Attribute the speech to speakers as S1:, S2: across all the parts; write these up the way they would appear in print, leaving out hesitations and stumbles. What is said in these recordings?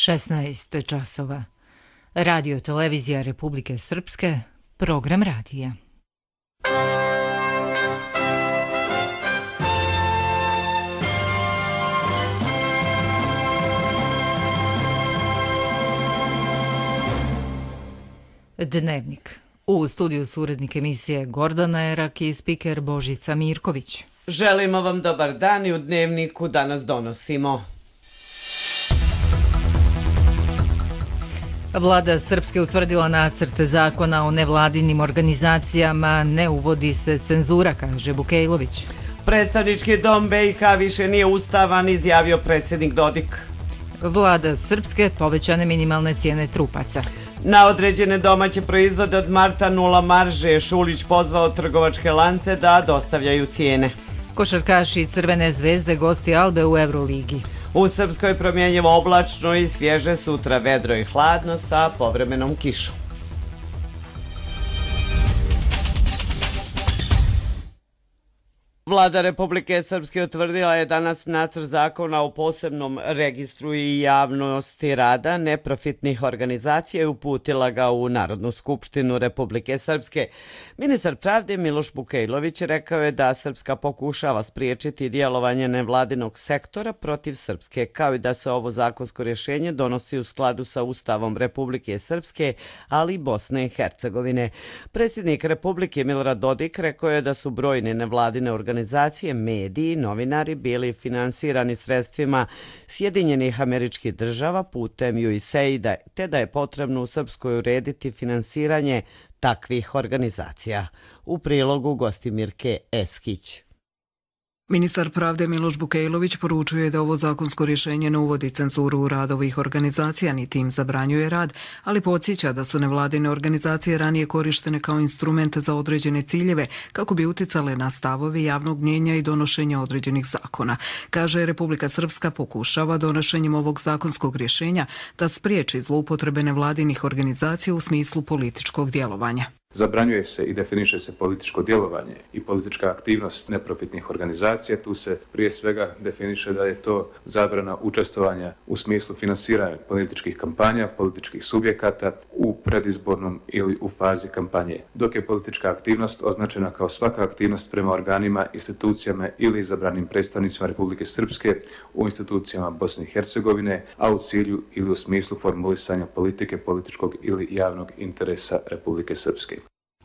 S1: 16 časova. Radio televizija Republike Srpske, program radija. Dnevnik. U studiju su urednik emisije Gordana Erak i spiker Božica Mirković.
S2: Želimo vam dobar dan i u Dnevniku danas donosimo.
S1: Vlada Srpske utvrdila nacrt zakona o nevladinim organizacijama, ne uvodi se cenzura, kaže Bukejlović.
S2: Predstavnički dom BiH više nije ustavan, izjavio predsjednik Dodik.
S1: Vlada Srpske povećane minimalne cijene trupaca.
S2: Na određene domaće proizvode od marta 0 marže, Šulić pozvao trgovačke lance da dostavljaju cijene.
S1: Košarkaši Crvene zvezde gosti Albe u Euroligi.
S2: U Srpskoj promjenjivo oblačno i svježe, sutra vedro i hladno sa povremenom kišom. Vlada Republike Srpske utvrdila je danas nacrt zakona o posebnom registru i javnosti rada neprofitnih organizacija i uputila ga u Narodnu skupštinu Republike Srpske. Ministar pravde Miloš Bukejlović rekao je da Srpska pokušava spriječiti djelovanje nevladinog sektora protiv Srpske, kao i da se ovo zakonsko rješenje donosi u skladu sa Ustavom Republike Srpske, ali i Bosne i Hercegovine. Predsjednik Republike Milorad Dodik rekao je da su brojne nevladine organizacije, mediji i novinari bili finansirani sredstvima Sjedinjenih Američkih Država putem USAID-a, te da je potrebno u Srpskoj urediti finansiranje takvih organizacija. U prilogu Gostimirke Eskić.
S3: Ministar pravde Miloš Bukejlović poručuje da ovo zakonsko rješenje ne uvodi cenzuru u rad ovih organizacija, niti im zabranjuje rad, ali podsjeća da su nevladine organizacije ranije korištene kao instrumente za određene ciljeve kako bi uticale na stavove javnog mnijenja i donošenja određenih zakona. Kaže, Republika Srpska pokušava donošenjem ovog zakonskog rješenja da spriječi zloupotrebe nevladinih organizacija u smislu političkog djelovanja.
S4: Zabranjuje se i definiše se političko djelovanje i politička aktivnost neprofitnih organizacija. Tu se prije svega definiše da je to zabrana učestvovanja u smislu finansiranja političkih kampanja, političkih subjekata u predizbornom ili u fazi kampanje. Dok je politička aktivnost označena kao svaka aktivnost prema organima, institucijama ili izabranim predstavnicima Republike Srpske u institucijama Bosne i Hercegovine, a u cilju ili u smislu formulisanja politike, političkog ili javnog interesa Republike Srpske.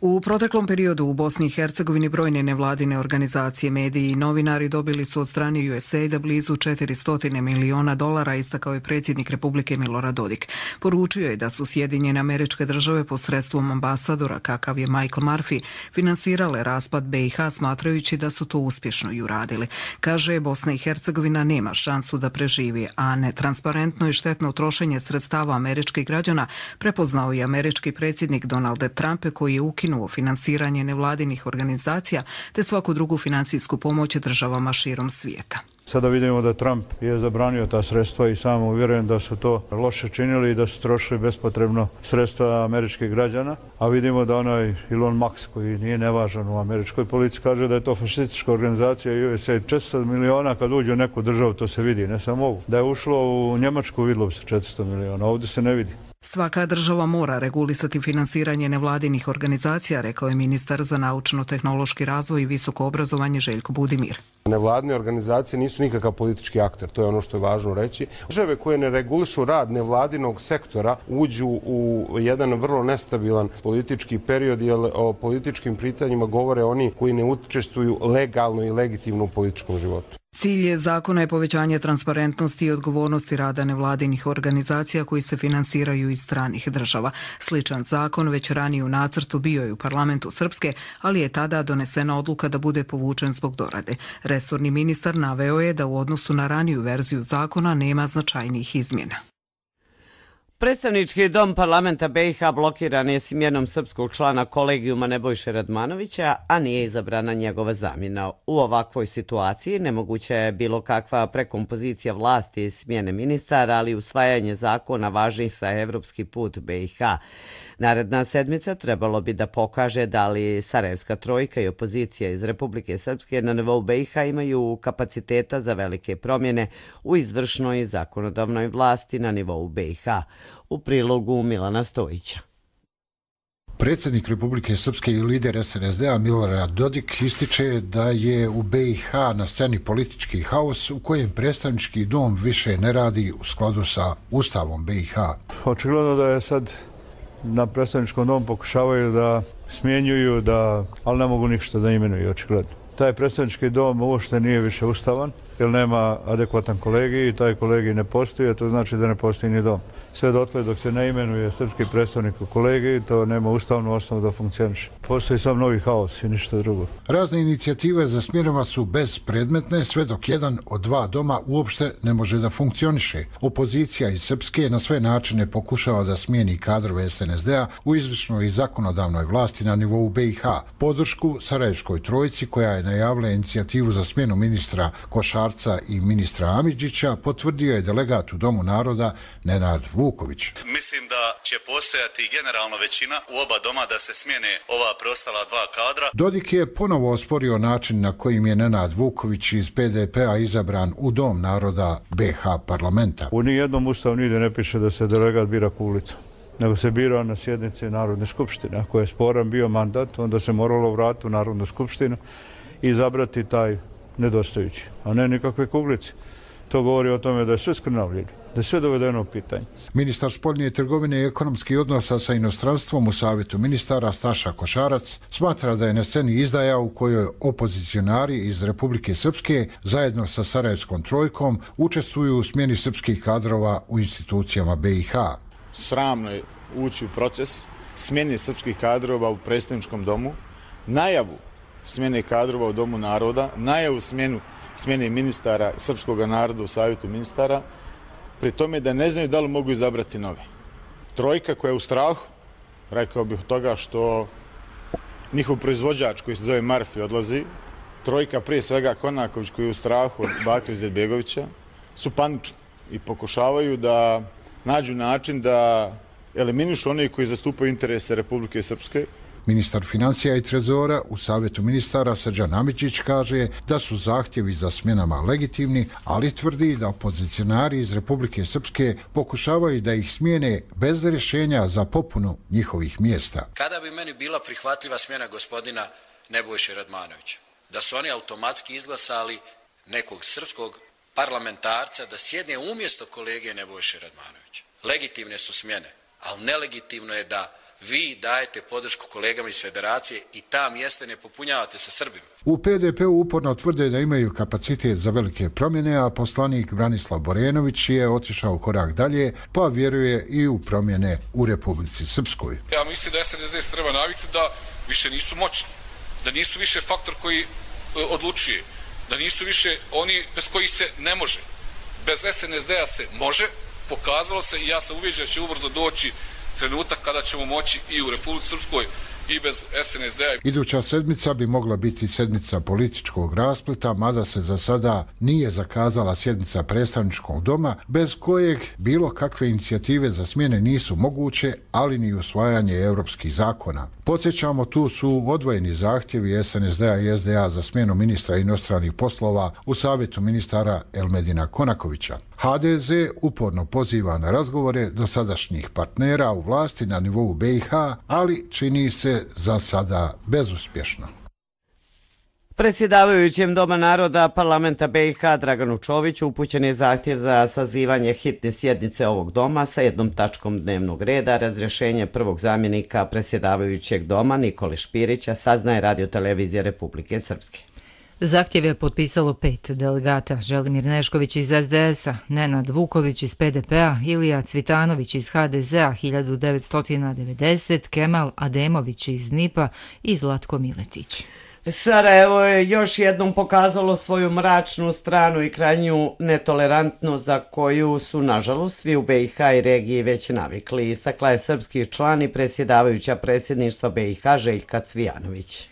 S3: U proteklom periodu u Bosni i Hercegovini brojne nevladine organizacije, mediji i novinari dobili su od strane USAID-a blizu $400 miliona, istakao je predsjednik Republike Milorad Dodik. Poručio je da su Sjedinjene Američke Države posredstvom ambasadora, kakav je Michael Murphy, finansirale raspad BiH smatrajući da su to uspješno i uradili. Kaže, Bosna i Hercegovina nema šansu da preživi, a netransparentno i štetno trošenje sredstava američkih građana prepoznao i američki predsjednik Donald Trump, koji je ukinuo finansiranje nevladinih organizacija te svaku drugu financijsku pomoć državama širom svijeta.
S5: Sada vidimo da Trump je zabranio ta sredstva i sam uvjeren da su to loše činili i da su trošili bespotrebno sredstva američkih građana, a vidimo da onaj Elon Musk, koji nije nevažan u američkoj politici, kaže da je to fašistička organizacija USAID. 400 miliona kad uđe u neku državu, to se vidi, ne samo ovu. Da je ušlo u Njemačku, vidilo bi se 400 miliona, ovdje se ne vidi.
S3: Svaka država mora regulisati finansiranje nevladinih organizacija, rekao je ministar za naučno-tehnološki razvoj i visoko obrazovanje Željko Budimir.
S6: Nevladine organizacije nisu nikakav politički akter, to je ono što je važno reći. Države koje ne regulišu rad nevladinog sektora uđu u jedan vrlo nestabilan politički period, jer o političkim pitanjima govore oni koji ne učestvuju legalno i legitimno u političkom životu.
S3: Cilj zakona je povećanje transparentnosti i odgovornosti rada nevladinih organizacija koji se finansiraju iz stranih država. Sličan zakon već ranije u nacrtu bio je u parlamentu Srpske, ali je tada donesena odluka da bude povučen zbog dorade. Resorni ministar naveo je da u odnosu na raniju verziju zakona nema značajnijih izmjena.
S2: Predstavnički dom parlamenta BiH blokiran je smjenom srpskog člana kolegijuma Nebojše Radmanovića, a nije izabrana njegova zamjena. U ovakvoj situaciji nemoguća je bilo kakva prekompozicija vlasti i smjene ministara, ali usvajanje zakona važnih za evropski put BiH. Naredna sedmica trebalo bi da pokaže da li Sarajevska trojka i opozicija iz Republike Srpske na nivou BiH imaju kapaciteta za velike promjene u izvršnoj i zakonodavnoj vlasti na nivou BiH. U prilogu Milana Stojića.
S7: Predsjednik Republike Srpske i lider SNSD-a Milorad Dodik ističe da je u BiH na sceni politički haos u kojem predstavnički dom više ne radi u skladu sa Ustavom BiH.
S5: Očigledno da je sad na predstavničkom domu pokušavaju da smjenjuju, ali ne mogu ništa da imenuju, očigledno. Taj predstavnički dom uopšte nije više ustavan, jer nema adekvatan kolegij i taj kolegij ne postoji, a to znači da ne postoji ni dom. Sve dotle dok se ne imenuje srpski predstavnik u kolegiji, to nema ustavnu osnovu da funkcioniše. Postoji sam novi haos i ništa drugo.
S7: Razne inicijative za smjenama su bezpredmetne, sve dok jedan od dva doma uopšte ne može da funkcioniše. Opozicija iz Srpske na sve načine pokušava da smijeni kadrove SNSD-a u izvršnoj i zakonodavnoj vlasti na nivou BiH. Podršku Sarajevskoj trojci, koja je najavila inicijativu za smjenu ministra Košarca i ministra Amidžića, potvrdio je delegat u Domu naroda Nenad Vuković.
S8: Mislim da će postojati generalno većina u oba doma da se smijene ova preostala dva kadra.
S7: Dodik je ponovo osporio način na kojim je Nenad Vuković iz PDP-a izabran u Dom naroda BiH parlamenta.
S5: U nijednom ustavu nigdje ne piše da se delegat bira kulicom, nego se bira na sjednici Narodne skupštine. Ako je sporan bio mandat, onda se moralo vratiti u Narodnu skupštinu i izabrati taj nedostajući, a ne nikakve kuglice. To govori o tome da je sve skrnavljeno, da je sve dovedeno u pitanje.
S7: Ministar spoljne trgovine i ekonomskih odnosa sa inostranstvom u Savjetu ministara Staša Košarac smatra da je na sceni izdaja u kojoj opozicionari iz Republike Srpske zajedno sa Sarajevskom trojkom učestvuju u smjeni srpskih kadrova u institucijama BiH.
S9: Sramno je ući u proces smjene srpskih kadrova u predstavničkom domu, najavu smjene kadrova u Domu naroda, najavu smjene ministara srpskog naroda u Savjetu ministara, pri tome da ne znaju da li mogu izabrati nove. Trojka koja je u strahu, rekao bih toga što njihov proizvođač koji se zove Marfi odlazi, trojka prije svega Konaković koji je u strahu od Bakira Izetbegovića, su panični i pokušavaju da nađu način da eliminišu one koji zastupaju interese Republike Srpske.
S7: Ministar financija i trezora u Savjetu ministara Srđan Amidžić kaže da su zahtjevi za smjenama legitimni, ali tvrdi da opozicionari iz Republike Srpske pokušavaju da ih smijene bez rješenja za popunu njihovih mjesta.
S10: Kada bi meni bila prihvatljiva smjena gospodina Nebojše Radmanovića? Da su oni automatski izglasali nekog srpskog parlamentarca da sjedne umjesto kolege Nebojše Radmanovića. Legitimne su smjene, ali nelegitimno je da vi dajete podršku kolegama iz Federacije i ta mjesta ne popunjavate sa Srbima.
S7: U PDP-u uporno tvrde da imaju kapacitet za velike promjene, a poslanik Branislav Borenović je otišao korak dalje, pa vjeruje i u promjene u Republici Srpskoj.
S11: Ja mislim da SNSD se treba naviknuti da više nisu moćni, da nisu više faktor koji odlučuje, da nisu više oni bez kojih se ne može. Bez SNSD-a se može, pokazalo se i ja sam uvjeđen da će ubrzo doći trenutak kada ćemo moći i u Republici Srpskoj i bez SNSD-a.
S7: Iduća sedmica bi mogla biti sedmica političkog raspleta, mada se za sada nije zakazala sjednica predstavničkog doma, bez kojeg bilo kakve inicijative za smjene nisu moguće, ali ni usvajanje europskih zakona. Podsjećamo, tu su odvojeni zahtjevi SNSD-a i SDA za smjenu ministra inostranih poslova u Savjetu ministara Elmedina Konakovića. HDZ uporno poziva na razgovore dosadašnjih partnera u vlasti na nivou BiH, ali čini se za sada bezuspješno.
S2: Predsjedavajućem Doma naroda parlamenta BiH Draganu Čoviću upućen je zahtjev za sazivanje hitne sjednice ovog doma sa jednom tačkom dnevnog reda, razrješenje prvog zamjenika predsjedavajućeg doma Nikole Špirića, saznaje Radio-televizija Republike Srpske.
S1: Zahtjev je potpisalo 5 delegata: Želimir Nešković iz SDS-a, Nenad Vuković iz PDP-a, Ilija Cvitanović iz HDZ-a 1990, Kemal Ademović iz NIP-a i Zlatko Miletić.
S2: Sarajevo je još jednom pokazalo svoju mračnu stranu i krajnju netolerantnost za koju su, nažalost, svi u BiH i regiji već navikli, istakla je srpski član i predsjedavajuća predsjedništva BiH Željka Cvijanović.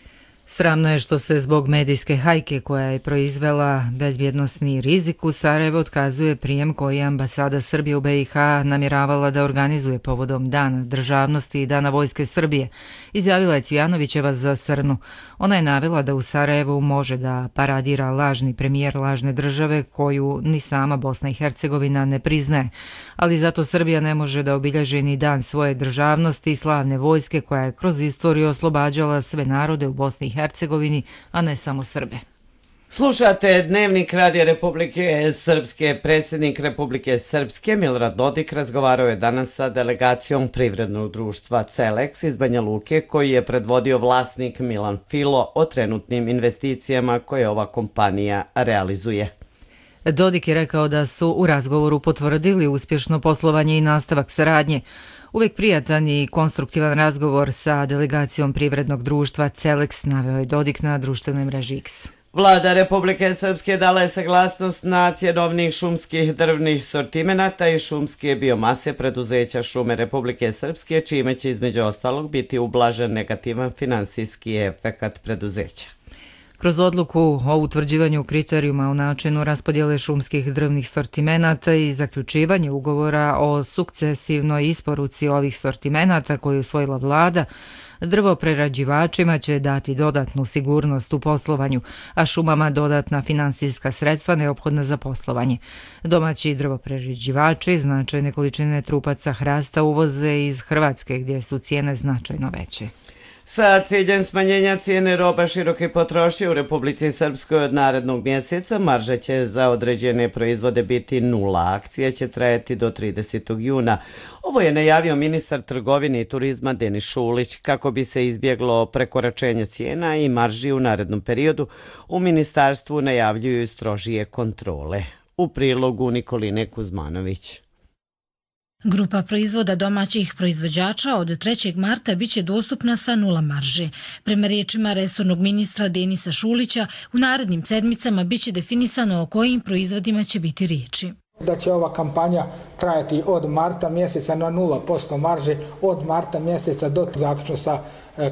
S1: Sramno je što se zbog medijske hajke koja je proizvela bezbjednosni rizik u Sarajevo otkazuje prijem koji je ambasada Srbije u BiH namjeravala da organizuje povodom Dana državnosti i Dana vojske Srbije, izjavila je Cvijanovićeva za Srnu. Ona je navela da u Sarajevu može da paradira lažni premijer lažne države koju ni sama Bosna i Hercegovina ne priznaje, ali zato Srbija ne može da obilježi ni dan svoje državnosti i slavne vojske koja je kroz istoriju oslobađala sve narode u Bosni i Hercegovini, a ne samo Srbe.
S2: Slušate Dnevnik Radija Republike Srpske. Predsjednik Republike Srpske Milorad Dodik razgovarao je danas sa delegacijom privrednog društva Celex iz Banja Luke, koji je predvodio vlasnik Milan Filo o trenutnim investicijama koje ova kompanija realizuje.
S1: Dodik je rekao da su u razgovoru potvrdili uspješno poslovanje i nastavak saradnje. Uvijek prijatan i konstruktivan razgovor sa delegacijom privrednog društva Celex, naveo je Dodik na društvenoj mreži X.
S2: Vlada Republike Srpske dala je saglasnost na cjenovnih šumskih drvnih sortimenata i šumske biomase preduzeća Šume Republike Srpske, čime će između ostalog biti ublažen negativan finansijski efekat preduzeća.
S1: Kroz odluku o utvrđivanju kriterijuma o načinu raspodjele šumskih drvnih sortimenata i zaključivanje ugovora o sukcesivnoj isporuci ovih sortimenata koju je usvojila vlada, drvoprerađivačima će dati dodatnu sigurnost u poslovanju, a šumama dodatna finansijska sredstva neophodna za poslovanje. Domaći drvoprerađivači značajne količine trupaca hrasta uvoze iz Hrvatske, gdje su cijene značajno veće.
S2: Sa ciljem smanjenja cijene roba široke potrošnje u Republici Srpskoj od narednog mjeseca, marža će za određene proizvode biti 0. Akcija će trajati do 30. juna. Ovo je najavio ministar trgovine i turizma Denis Šulić. Kako bi se izbjeglo prekoračenje cijena i marži u narednom periodu, u ministarstvu najavljuju strožije kontrole. U prilogu Nikoline Kuzmanović.
S12: Grupa proizvoda domaćih proizvođača od 3. marta biće dostupna sa 0 marže. Prema riječima resornog ministra Denisa Šulića, u narednim sedmicama biće definisano o kojim proizvodima će biti riječi.
S13: Da će ova kampanja trajati od marta mjeseca na 0% marže, od marta mjeseca do zaključno sa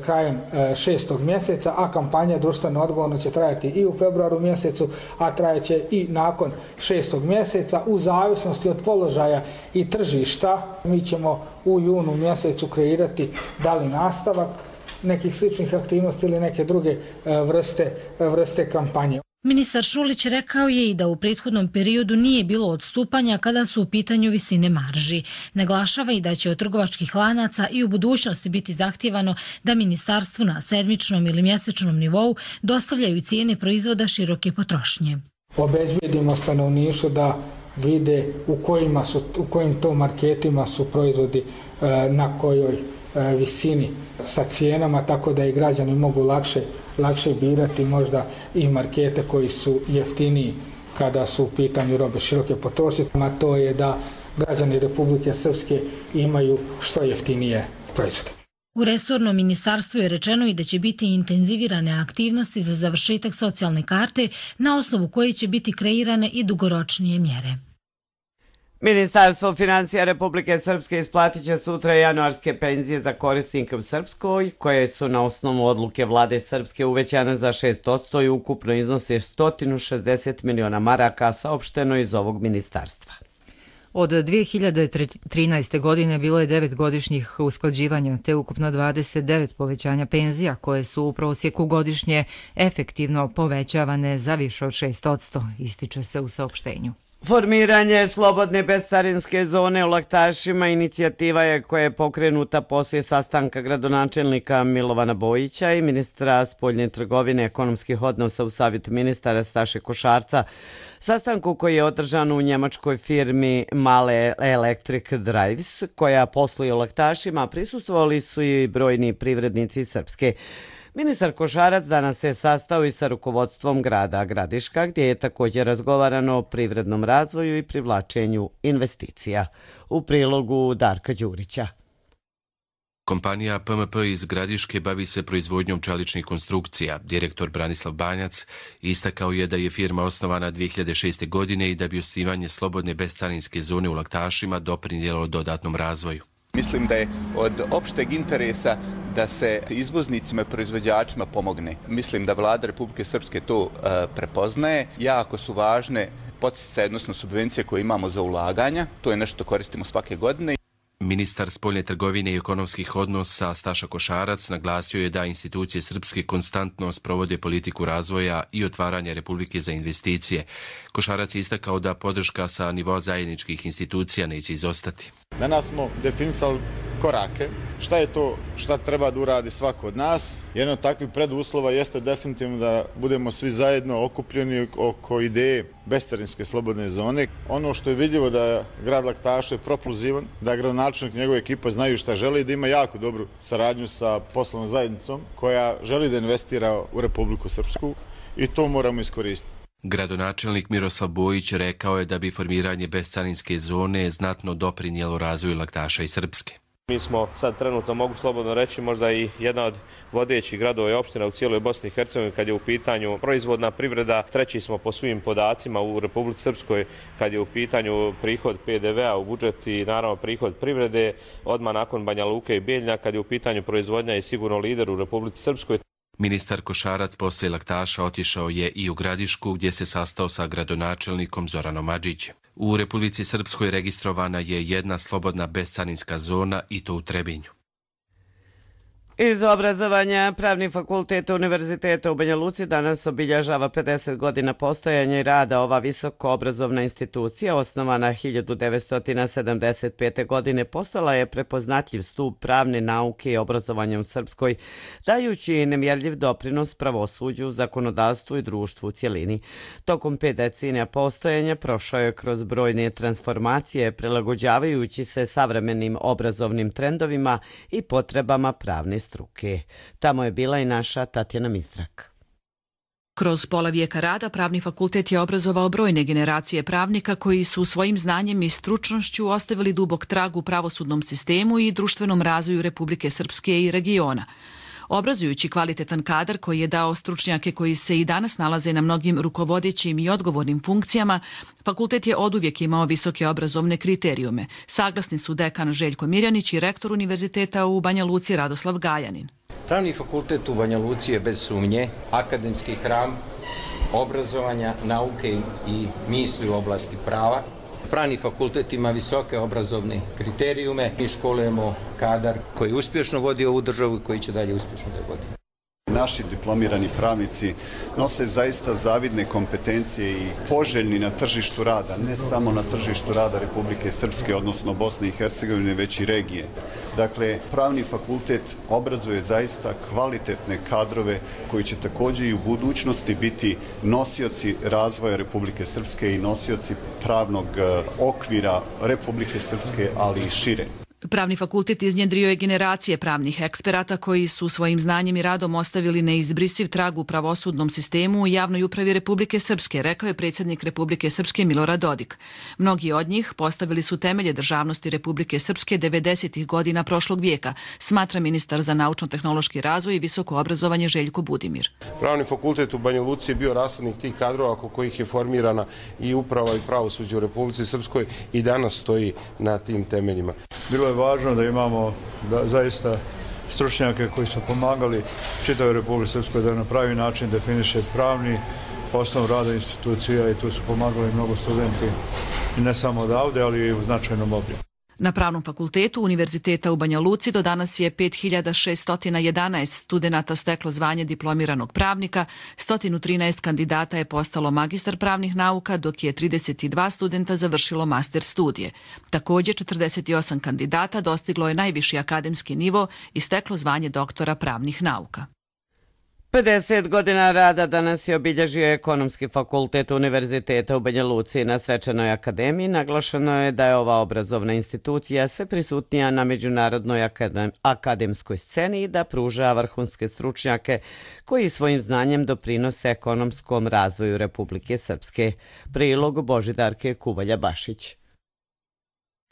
S13: krajem 6. mjeseca, a kampanja društveno odgovorno će trajati i u februaru mjesecu, a trajeće i nakon 6. mjeseca. U zavisnosti od položaja i tržišta mi ćemo u junu mjesecu kreirati da li nastavak nekih sličnih aktivnosti ili neke druge vrste kampanje.
S12: Ministar Šulić rekao je i da u prethodnom periodu nije bilo odstupanja kada su u pitanju visine marži. Naglašava i da će od trgovačkih lanaca i u budućnosti biti zahtijevano da ministarstvu na sedmičnom ili mjesečnom nivou dostavljaju cijene proizvoda široke potrošnje.
S13: Obezbijedimo stanovništvu da vide u kojim to marketima su proizvodi na kojoj visini sa cijenama, tako da i građani mogu lakše birati možda i markete koji su jeftiniji kada su u pitanju robe široke potrošnje, a to je da građani Republike Srpske imaju što jeftinije proizvode.
S12: U resornom ministarstvu je rečeno i da će biti intenzivirane aktivnosti za završetak socijalne karte na osnovu koje će biti kreirane i dugoročnije mjere.
S2: Ministarstvo financija Republike Srpske isplatit će sutra januarske penzije za korisnike u Srpskoj, koje su na osnovu odluke vlade Srpske uvećane za 6% i ukupno iznose 160 miliona maraka, saopšteno iz ovog ministarstva.
S1: Od 2013. godine bilo je 9 godišnjih usklađivanja, te ukupno 29 povećanja penzija, koje su u prosjeku godišnje efektivno povećavane za više od 6%, ističe se u saopštenju.
S2: Formiranje slobodne bescarinske zone u Laktašima inicijativa je koja je pokrenuta poslije sastanka gradonačelnika Milovana Bojića i ministra spoljne trgovine ekonomskih odnosa u savjetu ministara Staše Košarca, sastanku koji je održan u njemačkoj firmi Male Electric Drives, koja posluje u Laktašima, prisustvovali su i brojni privrednici Srpske. Ministar Košarac danas se sastao i sa rukovodstvom grada Gradiška, gdje je također razgovarano o privrednom razvoju i privlačenju investicija. U prilogu Darka Đurića.
S14: Kompanija PMP iz Gradiške bavi se proizvodnjom čeličnih konstrukcija. Direktor Branislav Banjac istakao je da je firma osnovana 2006. godine i da bi osnivanje slobodne bescarinske zone u Laktašima doprinijelo dodatnom razvoju.
S15: Mislim da je od opšteg interesa da se izvoznicima i proizvođačima pomogne. Mislim da vlada Republike Srpske to prepoznaje. Jako su važne podsticaje, odnosno subvencije koje imamo za ulaganja. To je nešto koristimo svake godine.
S14: Ministar spoljne trgovine i ekonomskih odnosa Staša Košarac naglasio je da institucije srpske konstantno sprovode politiku razvoja i otvaranja Republike za investicije. Košarac je istakao da podrška sa nivoa zajedničkih institucija neće izostati.
S9: Danas smo definisali korake. Šta je to šta treba da uradi svako od nas? Jedan od takvih preduslova jeste definitivno da budemo svi zajedno okupljeni oko ideje bescarinske slobodne zone. Ono što je vidljivo da je grad Laktaša propulzivan, da gradonačelnik i njegova ekipa znaju šta žele i da ima jako dobru saradnju sa poslovnom zajednicom koja želi da investira u Republiku Srpsku i to moramo iskoristiti.
S14: Gradonačelnik Miroslav Bojić rekao je da bi formiranje bescarinske zone znatno doprinijelo razvoju Laktaša i Srpske.
S16: Mi smo sad trenutno, mogu slobodno reći, možda i jedna od vodećih gradova i opština u cijeloj Bosni i Hercegovini kad je u pitanju proizvodna privreda. Treći smo po svim podacima u Republici Srpskoj kad je u pitanju prihod PDV-a u budžet i naravno prihod privrede. Odmah nakon Banja Luke i Bijeljina kad je u pitanju proizvodnja je sigurno lider u Republici Srpskoj.
S14: Ministar Košarac poslije Laktaša otišao je i u Gradišku gdje se sastao sa gradonačelnikom Zoranom Adžićem. U Republici Srpskoj registrovana je jedna slobodna bescarinska zona i to u Trebinju.
S2: Iz obrazovanja Pravni fakultet Univerziteta u Banja Luci danas obilježava 50 godina postojanja i rada. Ova visokoobrazovna institucija, osnovana 1975. godine, postala je prepoznatljiv stup pravne nauke i obrazovanja u Srpskoj, dajući nemjerljiv doprinos pravosuđu, zakonodavstvu i društvu u cjelini. Tokom 5 decenija postojanja prošao je kroz brojne transformacije, prilagođavajući se savremenim obrazovnim trendovima i potrebama pravne struke. Tamo je bila i naša Tatjana Mistrak.
S17: Kroz pola vijeka rada Pravni fakultet je obrazovao brojne generacije pravnika koji su svojim znanjem i stručnošću ostavili dubok trag u pravosudnom sistemu i društvenom razvoju Republike Srpske i regiona. Obrazujući kvalitetan kadar koji je dao stručnjake koji se i danas nalaze na mnogim rukovodećim i odgovornim funkcijama, fakultet je oduvijek imao visoke obrazovne kriterijume. Saglasni su dekan Željko Mirjanić i rektor Univerziteta u Banja Luci Radoslav Gajanin.
S18: Pravni fakultet u Banja Luci je bez sumnje akademski hram obrazovanja, nauke i misli u oblasti prava. Pravni fakultet ima visoke obrazovne kriterijume i školujemo kadar koji uspješno vodi ovu državu i koji će dalje uspješno da je vodi.
S19: Naši diplomirani pravnici nose zaista zavidne kompetencije i poželjni na tržištu rada, ne samo na tržištu rada Republike Srpske, odnosno Bosne i Hercegovine, već i regije. Dakle, Pravni fakultet obrazuje zaista kvalitetne kadrove koji će također i u budućnosti biti nosioci razvoja Republike Srpske i nosioci pravnog okvira Republike Srpske, ali i šire.
S17: Pravni fakultet iznjedrio je generacije pravnih eksperata koji su svojim znanjem i radom ostavili neizbrisiv trag u pravosudnom sistemu i javnoj upravi Republike Srpske, rekao je predsjednik Republike Srpske Milorad Dodik. Mnogi od njih postavili su temelje državnosti Republike Srpske 90. godina prošlog vijeka, smatra ministar za naučno-tehnološki razvoj i visoko obrazovanje Željko Budimir.
S6: Pravni fakultet u Banja Luci je bio raslednik tih kadrova oko kojih je formirana i uprava i pravosuđe u Republici Srpskoj i danas stoji na tim temeljima.
S5: Bilo je važno da imamo zaista stručnjake koji su pomagali čitavoj Republici Srpskoj da na pravi način definiše pravni osnov rada institucija i tu su pomagali mnogo studenti i ne samo odavde, ali i u značajnom obimu.
S17: Na Pravnom fakultetu Univerziteta u Banja Luci do danas je 5611 studenata steklo zvanje diplomiranog pravnika, 113 kandidata je postalo magistar pravnih nauka, dok je 32 studenta završilo master studije. Također 48 kandidata dostiglo je najviši akademski nivo i steklo zvanje doktora pravnih nauka.
S2: 50 godina rada danas je obilježio Ekonomski fakultet Univerziteta u Banja Luci. Na svečanoj akademiji naglašeno je da je ova obrazovna institucija sve prisutnija na međunarodnoj akademskoj sceni i da pruža vrhunske stručnjake koji svojim znanjem doprinose ekonomskom razvoju Republike Srpske. Prilog Božidarke Kuvalja-Bašić.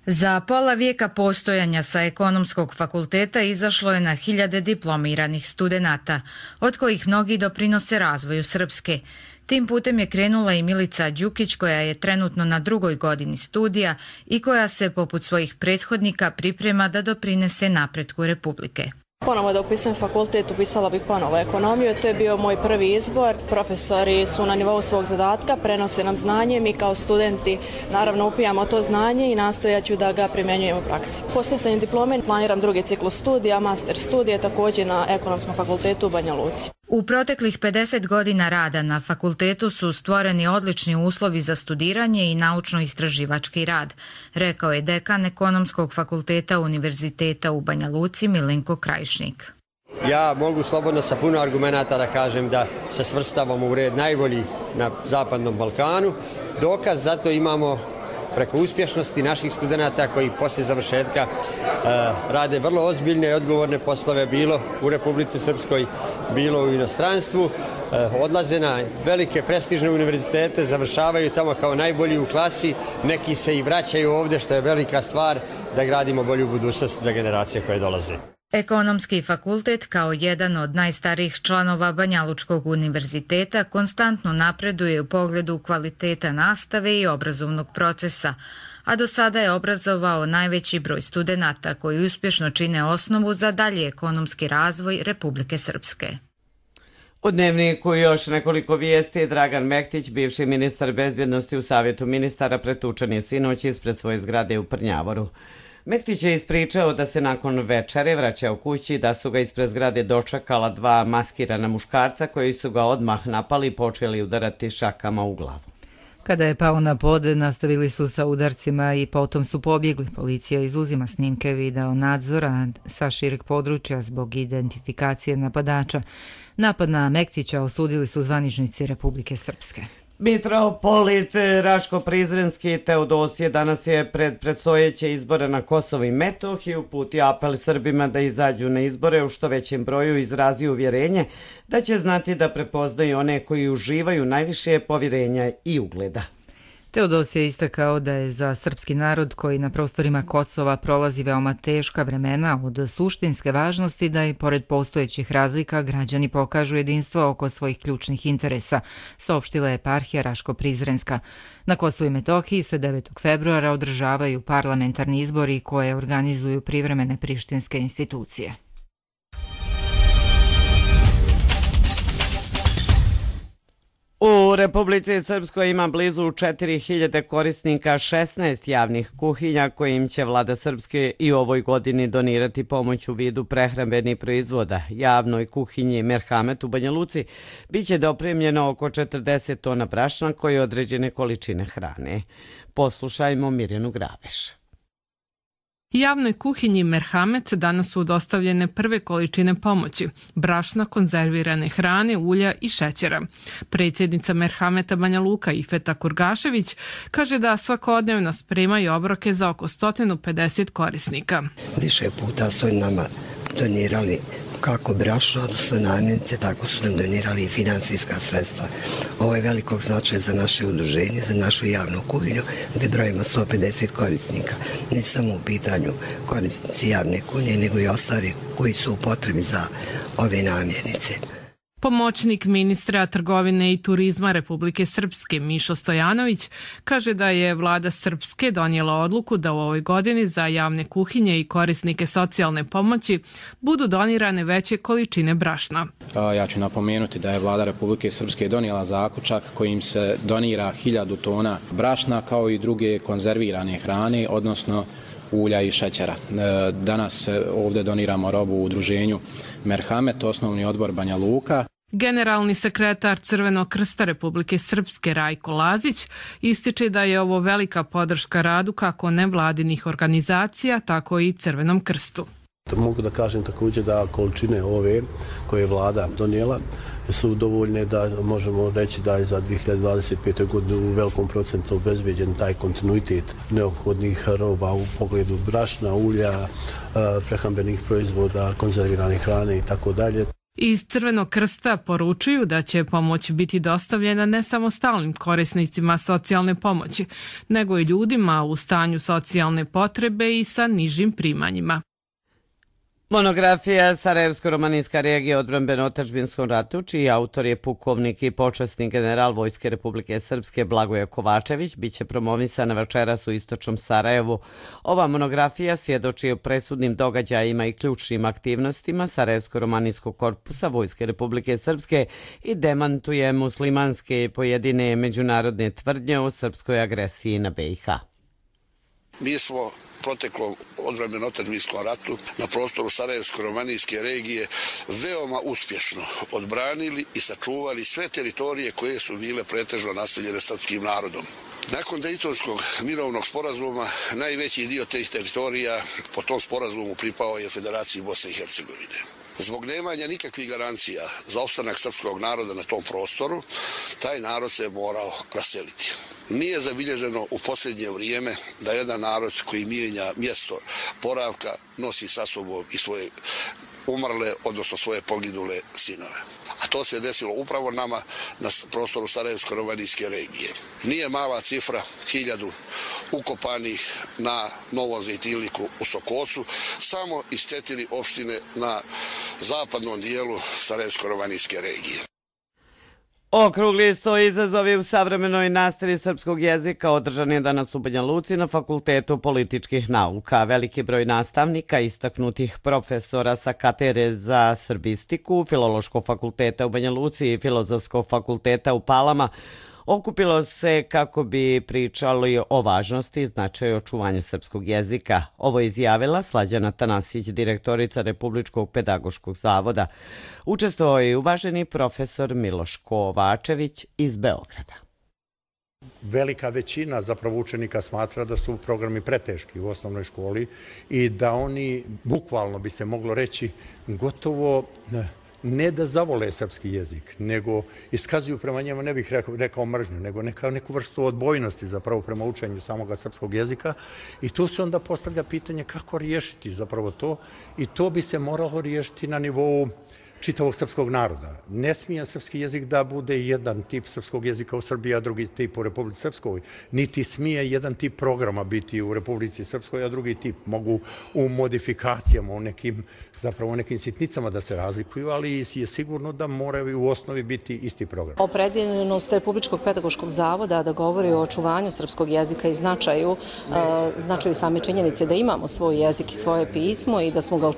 S1: Za pola vijeka postojanja sa Ekonomskog fakulteta izašlo je na hiljade diplomiranih studenata, od kojih mnogi doprinose razvoju Srpske. Tim putem je krenula i Milica Đukić koja je trenutno na 2. godini studija i koja se poput svojih prethodnika priprema da doprinese napretku Republike.
S20: Ponovo da upisujem fakultet, upisala bih ponovo ekonomiju, to je bio moj prvi izbor. Profesori su na nivou svog zadatka, prenose nam znanje, mi kao studenti naravno upijamo to znanje i nastojaću da ga primjenjujemo u praksi. Po stjecanju diplome planiram drugi ciklus studija, master studije, također na Ekonomskom fakultetu u Banja Luci.
S1: U proteklih 50 godina rada na fakultetu su stvoreni odlični uslovi za studiranje i naučno-istraživački rad, rekao je dekan Ekonomskog fakulteta Univerziteta u Banja Luci Milenko Krajišnik.
S21: Ja mogu slobodno sa puno argumenata da kažem da se svrstavamo u red najboljih na Zapadnom Balkanu. Dokaz zato imamo preko uspješnosti naših studenata koji poslije završetka rade vrlo ozbiljne i odgovorne poslove, bilo u Republici Srpskoj, bilo u inostranstvu, odlaze na velike prestižne univerzitete, završavaju tamo kao najbolji u klasi, neki se i vraćaju ovdje, što je velika stvar da gradimo bolju budućnost za generacije koje dolaze.
S1: Ekonomski fakultet kao jedan od najstarijih članova Banjalučkog univerziteta konstantno napreduje u pogledu kvaliteta nastave i obrazovnog procesa, a do sada je obrazovao najveći broj studenata koji uspješno čine osnovu za dalji ekonomski razvoj Republike Srpske.
S2: U Dnevniku još nekoliko vijesti. Dragan Mektić, bivši ministar bezbjednosti u Savjetu ministara, pretučen je sinoć ispred svoje zgrade u Prnjavoru. Mektić je ispričao da se nakon večere vraćao kući, da su ga ispred zgrade dočekala dva maskirana muškarca koji su ga odmah napali i počeli udarati šakama u glavu.
S1: Kada je pao na pod, nastavili su sa udarcima i potom su pobjegli. Policija izuzima snimke video nadzora sa šireg područja zbog identifikacije napadača. Napad na Mektića osudili su zvaničnici Republike Srpske.
S2: Mitropolit Raško Prizrenski Teodosije danas je pred predstojeće izbore na Kosovo i Metohiju uputio apel Srbima da izađu na izbore u što većem broju, izrazio uvjerenje da će znati da prepoznaju one koji uživaju najviše povjerenja i ugleda.
S1: Teodosije je istakao da je za srpski narod koji na prostorima Kosova prolazi veoma teška vremena od suštinske važnosti da i pored postojećih razlika građani pokažu jedinstvo oko svojih ključnih interesa, saopštila je eparhija Raško-Prizrenska. Na Kosovu i Metohiji se 9. februara održavaju parlamentarni izbori koje organizuju privremene prištinske institucije.
S2: U Republici Srpskoj ima blizu 4000 korisnika 16 javnih kuhinja kojim će vlada Srpske i u ovoj godini donirati pomoć u vidu prehrambenih proizvoda. Javnoj kuhinji Merhamet u Banja Luci biće dopremljeno oko 40 tona brašna koje određene količine hrane. Poslušajmo Mirjanu Graveš.
S22: Javnoj kuhinji Merhamet danas su dostavljene prve količine pomoći, brašna, konzervirane hrane, ulja i šećera. Predsjednica Merhameta Banja Luka Ifeta Kurgašević kaže da svakodnevno spremaju obroke za oko 150 korisnika.
S23: Više puta su nama donirali kako brašno, odnosno namirnice, tako su nam donirali i finansijska sredstva. Ovo je velikog značaja za naše udruženje, za našu javnu kuhinju, gdje brojimo 150 korisnika. Ne samo u pitanju korisnici javne kuhinje, nego i ostali koji su u potrebi za ove namirnice.
S22: Pomoćnik ministra trgovine i turizma Republike Srpske Mišo Stojanović kaže da je vlada Srpske donijela odluku da u ovoj godini za javne kuhinje i korisnike socijalne pomoći budu donirane veće količine brašna.
S24: Ja ću napomenuti da je vlada Republike Srpske donijela zaključak kojim se donira 1000 tona brašna kao i druge konzervirane hrane, odnosno ulja i šećera. Danas ovdje doniramo robu u udruženju Merhamet, osnovni odbor Banja Luka.
S22: Generalni sekretar Crvenog krsta Republike Srpske Rajko Lazić ističe da je ovo velika podrška radu kako nevladinih organizacija, tako i Crvenom krstu.
S25: Mogu da kažem također da količine ove koje je vlada donijela su dovoljne da možemo reći da je za 2025. godinu u velikom procentu obezbeđen taj kontinuitet neophodnih roba u pogledu brašna, ulja, prehrambenih proizvoda, konzervirane hrane i tako dalje.
S22: Iz Crvenog krsta poručuju da će pomoć biti dostavljena ne samo stalnim korisnicima socijalne pomoći, nego i ljudima u stanju socijalne potrebe i sa nižim primanjima.
S2: Monografija Sarajevsko-romanijska regija odbrambeno-otadžbinskom ratu, čiji autor je pukovnik i počasni general Vojske Republike Srpske Blagoje Kovačević, biće promovisana večeras u istočnom Sarajevu. Ova monografija svjedoči o presudnim događajima i ključnim aktivnostima Sarajevsko-romanijskog korpusa Vojske Republike Srpske i demantuje muslimanske i pojedine međunarodne tvrdnje o srpskoj agresiji na BiH.
S3: Mi smo proteklom odbrambeno-otadžbinskom ratu na prostoru Sarajevsko-romanijske regije veoma uspješno odbranili i sačuvali sve teritorije koje su bile pretežno naseljene srpskim narodom. Nakon Dejtonskog mirovnog sporazuma najveći dio tih teritorija po tom sporazumu pripao je Federaciji Bosne i Hercegovine. Zbog nemanja nikakvih garancija za opstanak srpskog naroda na tom prostoru, taj narod se morao raseliti. Nije zabilježeno u posljednje vrijeme da jedan narod koji mijenja mjesto boravka nosi sa sobom i svoje umrle, odnosno svoje poginule sinove. A to se desilo upravo nama na prostoru Sarajevsko-romanijske regije. Nije mala cifra, 1000 ukopanih na Novom Zejtilniku u Sokocu, samo iz 4 opštine na zapadnom dijelu Sarajevsko-romanijske regije.
S2: Okrugli sto izazovi u savremenoj nastavi srpskog jezika održan je danas u Banja Luci na Fakultetu političkih nauka. Veliki broj nastavnika, istaknutih profesora sa katedre za srbistiku, Filološkog fakulteta u Banja Luci i Filozofskog fakulteta u Palama okupilo se kako bi pričali o važnosti i značaju očuvanja srpskog jezika. Ovo je izjavila Slađana Tanasić, direktorica Republičkog pedagoškog zavoda. Učestvovao je uvaženi profesor Miloš Kovačević iz Beograda.
S4: Velika većina zapravo učenika smatra da su programi preteški u osnovnoj školi i da oni, bukvalno bi se moglo reći, gotovo ne da zavole srpski jezik, nego iskazuju prema njemu, ne bih rekao mržnju, nego neku vrstu odbojnosti zapravo prema učenju samoga srpskog jezika. I tu se onda postavlja pitanje kako riješiti zapravo to i to bi se moralo riješiti na nivou čitavog srpskog naroda. Ne smije srpski jezik da bude jedan tip srpskog jezika u Srbiji, a drugi tip u Republici Srpskoj. Niti smije jedan tip programa biti u Republici Srpskoj, a drugi tip. Mogu u modifikacijama, u nekim sitnicama da se razlikuju, ali je sigurno da moraju u osnovi biti isti program.
S8: Opredijeljenost Republičkog pedagoškog zavoda da govori o očuvanju srpskog jezika i značaju same činjenice da imamo svoj jezik i svoje pismo i da smo ga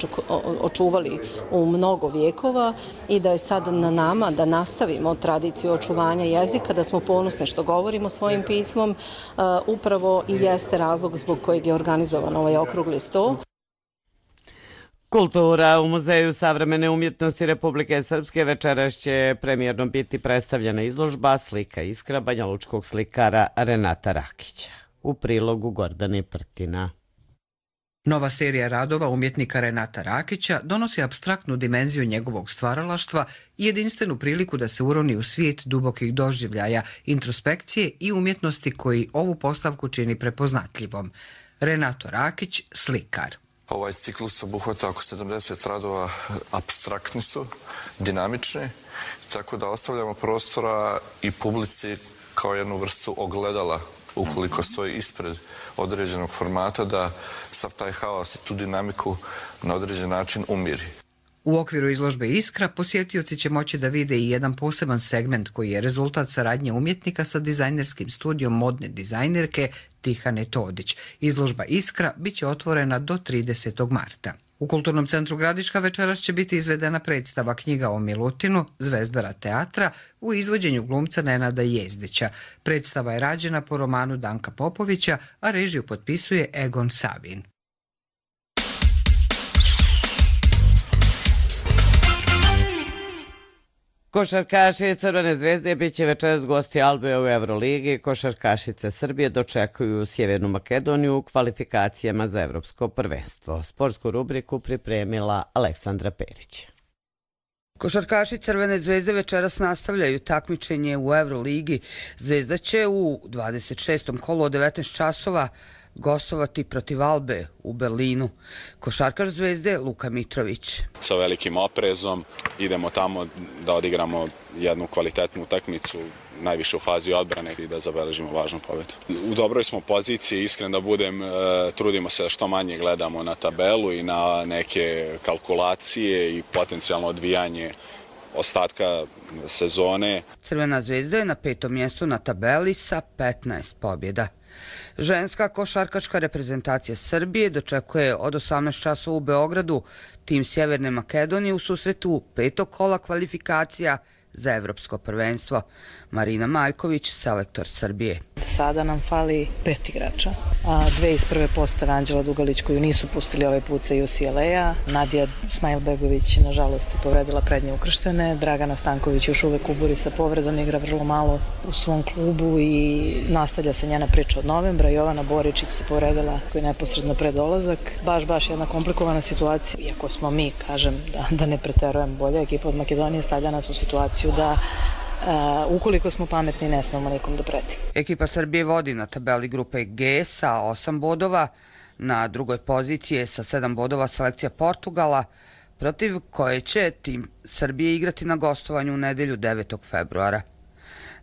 S8: očuvali u mnogo vijekova i da je sad na nama da nastavimo tradiciju očuvanja jezika, da smo ponosni što govorimo svojim pismom, upravo i jeste razlog zbog kojeg je organizovan ovaj okrugli sto.
S2: Kultura u Muzeju savremene umjetnosti Republike Srpske večeras će premijerno biti predstavljena izložba Slika iskra banjalučkog slikara Renata Rakića. U prilogu Gordane Prtina.
S10: Nova serija radova umjetnika Renata Rakića donosi apstraktnu dimenziju njegovog stvaralaštva i jedinstvenu priliku da se uroni u svijet dubokih doživljaja, introspekcije i umjetnosti koji ovu postavku čini prepoznatljivom. Renato Rakić, slikar.
S11: Ovaj ciklus obuhvata oko 70 radova, apstraktni su, dinamični, tako da ostavljamo prostora i publici kao jednu vrstu ogledala ukoliko stoji ispred određenog formata, da sav taj haos i tu dinamiku na određen način umiri.
S10: U okviru izložbe Iskra posjetioci će moći da vide i jedan poseban segment koji je rezultat saradnje umjetnika sa dizajnerskim studijom modne dizajnerke Tihane Todić. Izložba Iskra biće otvorena do 30. marta. U Kulturnom centru Gradiška večeras će biti izvedena predstava Knjiga o Milutinu, Zvezdara teatra, u izvođenju glumca Nenada Jezdića. Predstava je rađena po romanu Danka Popovića, a režiju potpisuje Egon Savin.
S2: Košarkaši Crvene zvezde bit će večeras gosti Albe u Euroligi. Košarkašice Srbije dočekuju Sjevernu Makedoniju u kvalifikacijama za evropsko prvenstvo. Sportsku rubriku pripremila Aleksandra Perić.
S26: Košarkaši Crvene zvezde večeras nastavljaju takmičenje u Euroligi. Zvezda će u 26. kolu od 19 časova gostovati protiv Albe u Berlinu. Košarkaš Zvezde Luka Mitrović.
S27: Sa velikim oprezom idemo tamo da odigramo jednu kvalitetnu utakmicu
S7: najviše u fazi odbrane i da zabeležimo važnu pobedu. U dobroj smo poziciji, iskren da budem, trudimo se da što manje gledamo na tabelu i na neke kalkulacije i potencijalno odvijanje ostatka sezone.
S26: Crvena zvezda je na 5. mjestu na tabeli sa 15 pobjeda. Ženska košarkaška reprezentacija Srbije dočekuje od 18 časova u Beogradu tim Sjeverne Makedonije u susretu 5. kola kvalifikacija za evropsko prvenstvo. Marina Majković, selektor Srbije.
S9: Sada nam fali 5 igrača, a 2 iz prve postave, Anđela Dugalić koju nisu pustili ovaj put sa UCLA-a, Nadija Smajlbegović nažalost je povredila prednje ukrštene, Dragana Stanković još uvek ubori sa povredom, igra vrlo malo u svom klubu i nastavlja se njena priča od novembra. Jovana Boričić se povredila koji je neposredno pred dolazak. Baš jedna komplikovana situacija, iako smo mi, kažem, da ne preterujem, bolja ekipa od Makedonije stavlja nas u situaciju da ukoliko smo pametni ne smemo nikom da preti.
S26: Ekipa Srbije vodi na tabeli grupe G sa 8 bodova, na drugoj poziciji je sa 7 bodova selekcija Portugala, protiv koje će tim Srbije igrati na gostovanju u nedelju 9. februara.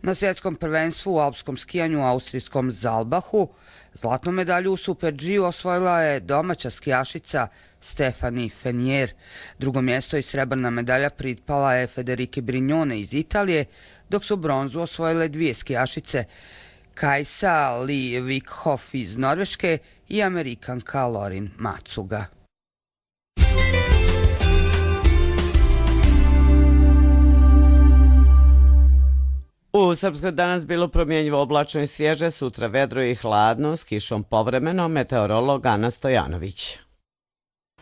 S26: Na svjetskom prvenstvu u alpskom skijanju u austrijskom Zalbahu zlatnu medalju u Super G osvojila je domaća skijašica Stefani Fenier. Drugo mjesto i srebrna medalja pripala je Federike Brignone iz Italije, dok su bronzu osvojile 2 skijašice, Kajsa Li Vikhoff iz Norveške i Amerikanka Lorin Matsuga.
S2: U Srpskoj danas bilo promjenjivo, oblačno i svježe, sutra vedro i hladno, s kišom povremeno, meteorolog Ana Stojanović.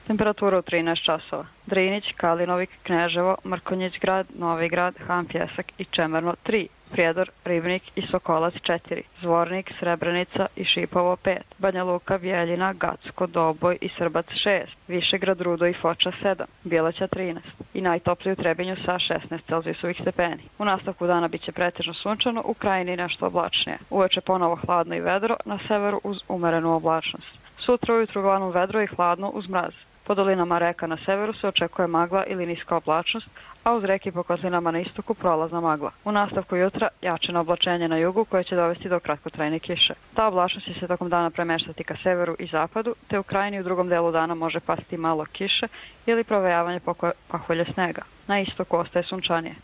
S12: Temperatura u 13 časova. Drinić, Kalinovik, Kneževo, Mrkonjić grad, Novi grad, Han Pjesak i Čemerno 3. Prijedor, Ribnik i Sokolac 4. Zvornik, Srebrenica i Šipovo 5. Banja Luka, Bjeljina, Gacko, Doboj i Srbac 6. Višegrad, Rudo i Foča 7. Bjelaća 13. I najtopliji u Trebinju sa 16 celzijusovih stepeni. U nastavku dana biće pretežno sunčano, u krajini nešto oblačnije. Uveče ponovo hladno i vedro, na severu uz umerenu oblačnost. Sutra ujutru uglavnom vedro i hladno uz mraz. Po dolinama reka na severu se očekuje magla ili niska oblačnost, a uz reke po kozlinama na istoku prolazna magla. U nastavku jutra jačeno oblačenje na jugu koje će dovesti do kratkotrajne kiše. Ta oblačnost će se tokom dana premeštati ka severu i zapadu, te u krajini u drugom delu dana može pasti malo kiše ili provejavanje pahulje snega. Na istoku ostaje sunčanije.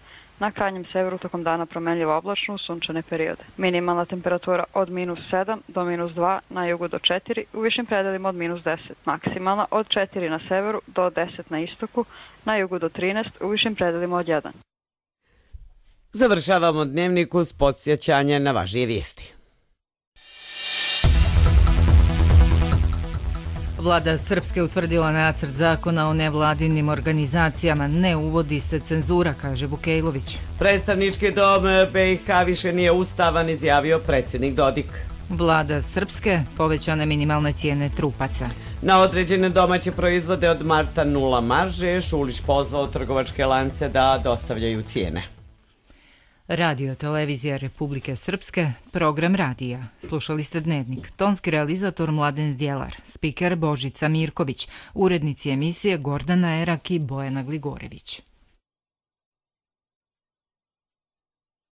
S12: Na krajnjem severu tokom dana promenljivo oblačno u sunčane periode. Minimalna temperatura od -7 do -2, na jugu do 4, u višim predelima od -10. Maksimalna od 4 na severu do 10 na istoku, na jugu do 13, u višim predelima od 1.
S2: Završavamo dnevnik uz podsjećanje na važnije vijesti.
S1: Vlada Srpske utvrdila nacrt zakona o nevladinim organizacijama. Ne uvodi se cenzura, kaže Vukejlović.
S2: Predstavnički dom BiH više nije ustavan, izjavio predsjednik Dodik.
S1: Vlada Srpske povećane minimalne cijene trupaca.
S2: Na određene domaće proizvode od marta 0 marže, Šulić pozvao trgovačke lance da dostavljaju cijene.
S1: Radio Televizija Republike Srpske, program radija. Slušali ste dnevnik. Tonski realizator Mladen Zdjelar, spiker Božica Mirković, urednici emisije Gordana Erak i Bojana Gligorević.